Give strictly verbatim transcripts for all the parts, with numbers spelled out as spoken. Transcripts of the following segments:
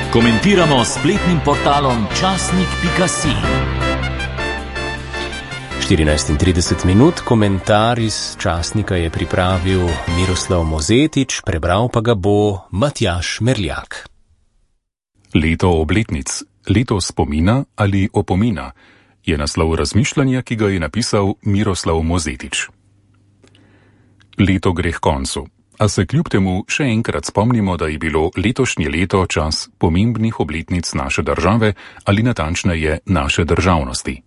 Komentiramo s spletnim portalom časnik pika si. štirinajst in trideset minut, komentar iz časnika je pripravil Miroslav Mozetič, prebral pa ga bo Matjaž Merljak. Leto obletnic, leto spomina ali opomina je naslov razmišljanja, ki ga je napisal Miroslav Mozetič. Leto gre k koncu, a se kljub temu še enkrat spomnimo, da je bilo letošnje leto čas pomembnih obletnic naše države ali natančneje naše državnosti.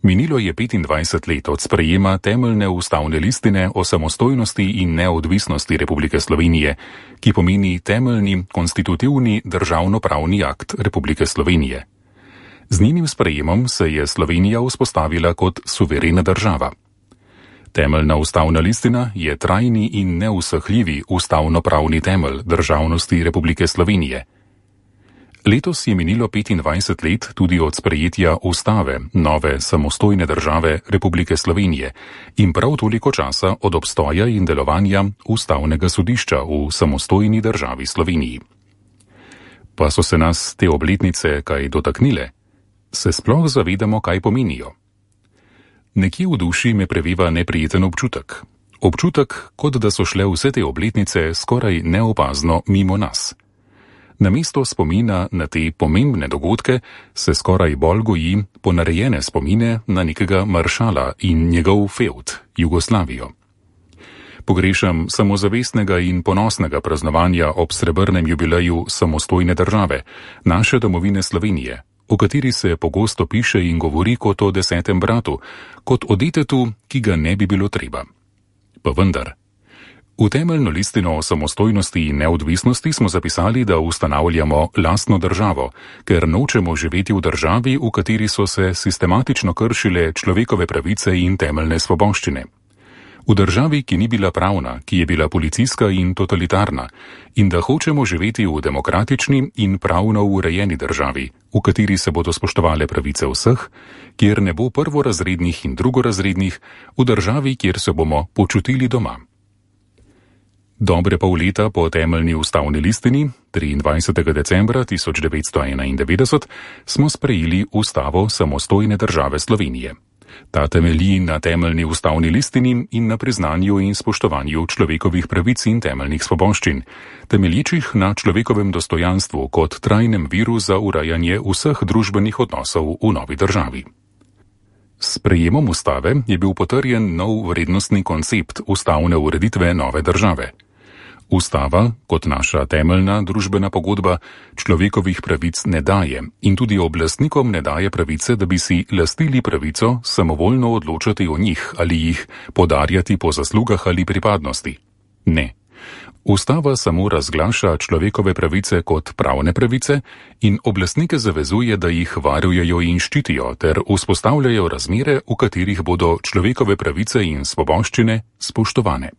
Minilo je petindvajset let od sprejema temeljne ustavne listine o samostojnosti in neodvisnosti Republike Slovenije, ki pomeni temeljni konstitutivni državnopravni akt Republike Slovenije. Z njenim sprejemom se je Slovenija vzpostavila kot suverena država. Temeljna ustavna listina je trajni in neusahljivi ustavnopravni temelj državnosti Republike Slovenije. Letos je minilo petindvajset let tudi od sprejetja ustave nove samostojne države Republike Slovenije in prav toliko časa od obstoja in delovanja ustavnega sodišča v samostojni državi Sloveniji. Pa so se nas te obletnice kaj dotaknile? Se sploh zavedamo, kaj pomenijo? Nekje v duši me preveva neprijeten občutek. Občutek, kot da so šle vse te obletnice skoraj neopazno mimo nas. Namesto spomina na te pomembne dogodke se skoraj bolj goji ponarejene spomine na nekega maršala in njegov fevd, Jugoslavijo. Pogrešam samozavestnega in ponosnega praznovanja ob srebrnem jubileju samostojne države, naše domovine Slovenije, o kateri se pogosto piše in govori kot o desetem bratu, kot o detetu, ki ga ne bi bilo treba. Pa vendar. V temeljno listino o samostojnosti in neodvisnosti smo zapisali, da ustanavljamo lastno državo, ker nočemo živeti v državi, v kateri so se sistematično kršile človekove pravice in temeljne svoboščine. V državi, ki ni bila pravna, ki je bila policijska in totalitarna, in da hočemo živeti v demokratični in pravno urejeni državi, v kateri se bodo spoštovale pravice vseh, kjer ne bo prvorazrednih in drugorazrednih, v državi, kjer se bomo počutili doma. Dobre pol leta po temeljni ustavni listini, triindvajsetega decembra tisoč devetsto enaindevetdeset, smo sprejeli ustavo samostojne države Slovenije. Ta temelji na temeljni ustavni listini in na priznanju in spoštovanju človekovih pravic in temeljnih svoboščin, temeljičih na človekovem dostojanstvu kot trajnem viru za urejanje vseh družbenih odnosov v novi državi. S sprejemom ustave je bil potrjen nov vrednostni koncept ustavne ureditve nove države. Ustava, kot naša temeljna družbena pogodba, človekovih pravic ne daje in tudi oblastnikom ne daje pravice, da bi si lastili pravico samovoljno odločati o njih ali jih podarjati po zaslugah ali pripadnosti. Ne. Ustava samo razglaša človekove pravice kot pravne pravice in oblastnike zavezuje, da jih varujejo in ščitijo ter vzpostavljajo razmere, v katerih bodo človekove pravice in svoboščine spoštovane.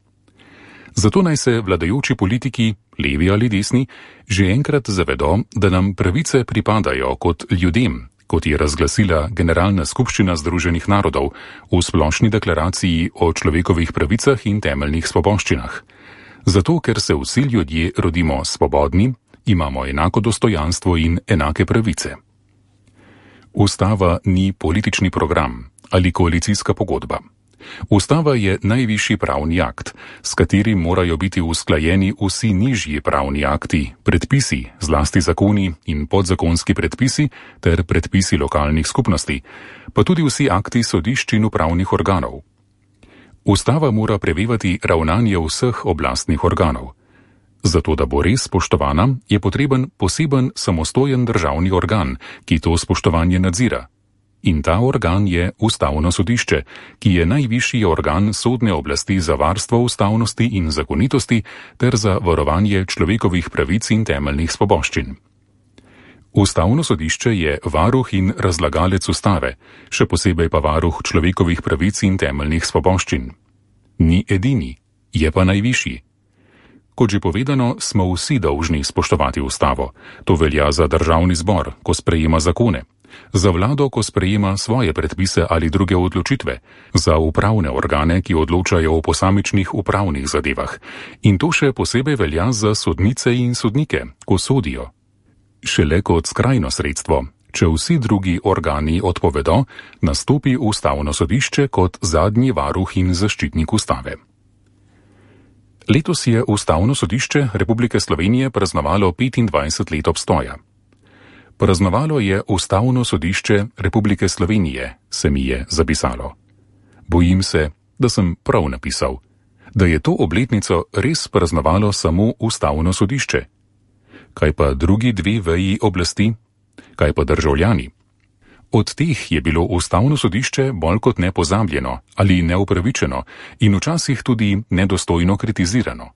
Zato naj se vladajoči politiki, levi ali desni, že enkrat zavedo, da nam pravice pripadajo kot ljudem, kot je razglasila Generalna skupščina Združenih narodov v splošni deklaraciji o človekovih pravicah in temeljnih svoboščinah. Zato, ker se vsi ljudje rodimo svobodni, imamo enako dostojanstvo in enake pravice. Ustava ni politični program ali koalicijska pogodba. Ustava je najvišji pravni akt, s katerim morajo biti usklajeni vsi nižji pravni akti, predpisi, zlasti zakoni in podzakonski predpisi ter predpisi lokalnih skupnosti, pa tudi vsi akti sodišč in upravnih organov. Ustava mora prevevati ravnanje vseh oblastnih organov. Zato, da bo res spoštovana, je potreben poseben samostojen državni organ, ki to spoštovanje nadzira. In ta organ je Ustavno sodišče, ki je najvišji organ sodne oblasti za varstvo ustavnosti in zakonitosti ter za varovanje človekovih pravic in temeljnih svoboščin. Ustavno sodišče je varuh in razlagalec ustave, še posebej pa varuh človekovih pravic in temeljnih svoboščin. Ni edini, je pa najvišji. Kot že povedano, smo vsi dolžni spoštovati ustavo. To velja za državni zbor, ko sprejema zakone. Za vlado, ko sprejema svoje predpise ali druge odločitve, za upravne organe, ki odločajo o posamičnih upravnih zadevah, in to še posebej velja za sodnice in sodnike, ko sodijo. šele kot skrajno sredstvo. Če vsi drugi organi odpovedo, nastopi Ustavno sodišče kot zadnji varuh in zaščitnik ustave. Letos je Ustavno sodišče Republike Slovenije praznovalo petindvajset let obstoja. Praznovalo je Ustavno sodišče Republike Slovenije, se mi je zapisalo. Bojim se, da sem prav napisal, da je to obletnico res praznovalo samo Ustavno sodišče. Kaj pa drugi dve veji oblasti? Kaj pa državljani? Od teh je bilo Ustavno sodišče bolj kot ne pozabljeno ali neupravičeno in včasih tudi nedostojno kritizirano.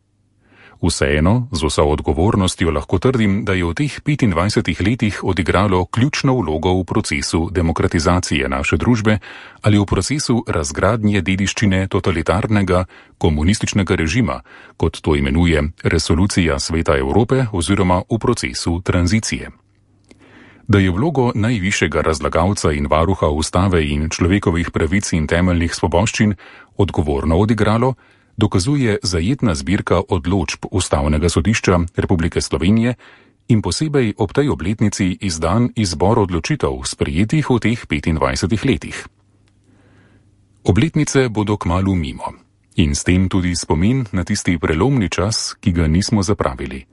Vseeno, z vso odgovornostjo lahko trdim, da je v teh petindvajsetih letih odigralo ključno vlogo v procesu demokratizacije naše družbe ali v procesu razgradnje dediščine totalitarnega komunističnega režima, kot to imenuje Resolucija Sveta Evrope oziroma v procesu tranzicije. Da je vlogo najvišjega razlagalca in varuha ustave in človekovih pravic in temeljnih svoboščin odgovorno odigralo, dokazuje zajetna zbirka odločb Ustavnega sodišča Republike Slovenije in posebej ob tej obletnici izdan izbor odločitev sprejetih v teh petindvajsetih letih. Obletnice bodo kmalu mimo in s tem tudi spomin na tisti prelomni čas, ki ga nismo zapravili.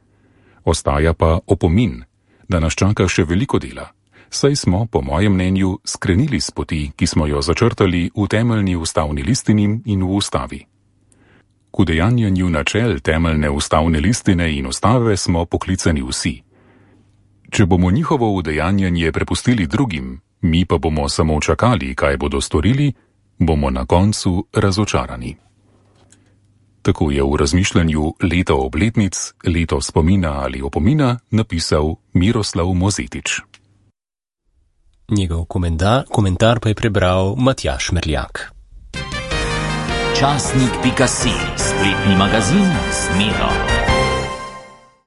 Ostaja pa opomin, da nas čaka še veliko dela, saj smo, po mojem mnenju, skrenili s poti, ki smo jo začrtali v temeljni ustavni listini in v ustavi. K udejanjanju načel temeljne ustavne listine in ustave smo poklicani vsi. Če bomo njihovo udejanjanje prepustili drugim, mi pa bomo samo čakali, kaj bodo storili, bomo na koncu razočarani. Tako je v razmišljanju Leto obletnic, leto spomina ali opomina napisal Miroslav Mozetič. Njegov komentar, komentar pa je prebral Matjaž Merljak. Časnik pika si, spletni magazin Smelo.